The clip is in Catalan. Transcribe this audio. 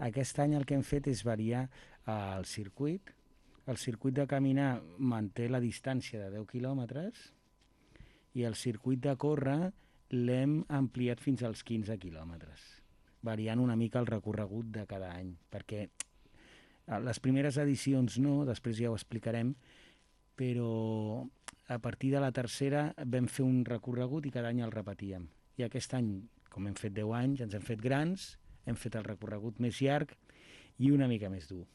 Aquest any el que hem fet és variar el circuit. El circuit de caminar manté la distància de 10 quilòmetres i el circuit de córrer l'hem ampliat fins als 15 quilòmetres, variant una mica el recorregut de cada any, perquè les primeres edicions no, després ja ho explicarem, però a partir de la tercera vam fer un recorregut i cada any el repetíem. I aquest any, com hem fet 10 anys, ens hem fet grans, hem fet el recorregut més llarg i una mica més dur.